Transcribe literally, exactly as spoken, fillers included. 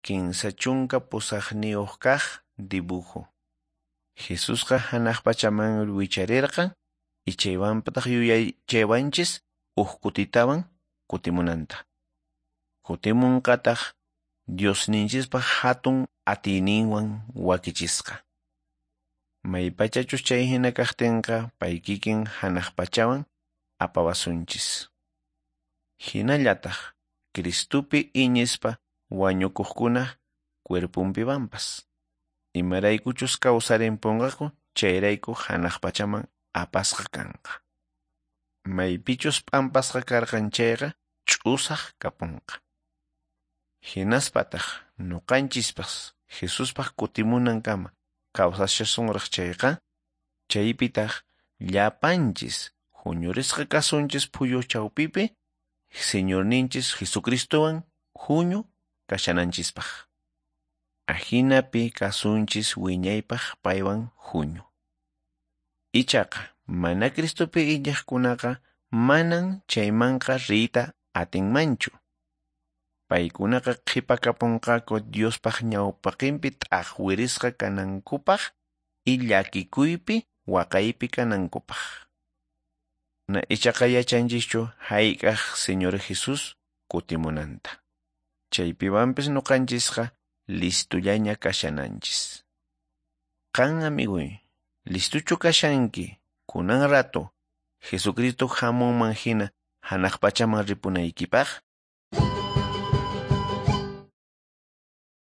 Kinsa chunka pusaqniyuq kaq dibujo. Jesusqa hanaq pachaman wicharirqan y chaywanpataq yuyaychaywanchis huk kutitawan kutimunanta. Kutimunqataq Diosninchispaq hatun atiyninwan wakichisqa. Maypachachus chay hina kaqtinqa pay kikin hanaq pachawan apawasunchis. Hinallataq Cristupi iñispa wañukuqkuna cuerpunpiwanpas. Imaraykuchus kawsarimpunqaku chayrayku hanaq pachaman apasqa kanqa. Maypichus p'ampasqa karqan chayqa ch'usaq kapunqa. Hinaspataq ñuqanchispas Jesuspaq kutimunankama kawsashasunraq chayqa, chaypitaq llapanchis huñurisqa kasunchis phuyu chawpipi Señorninchis Jesucristowan huñu kashananchispaq. Ahinapi kasunchis wiñaypaq paywan huñu. Ichaqa mana Cristopi iñiqkunaqa manan chaymanqa riyta atinmanchu. Paykunaqa qhipakapunqaku Diospaq ñawpaqinpi t'aqwirisqa kanankupaq y llakikuypi waqaypi kanankupaq. Na ichaqa yachanchischu hayk'aq Señor Jesús kutimunanta. Chaypiwanpis ñuqanchisqa listullaña kashananchis. Qan amiguy, listuchu kashanki kunan rato Jesucristo hamunman hina hanaq pachaman ripunaykipaq?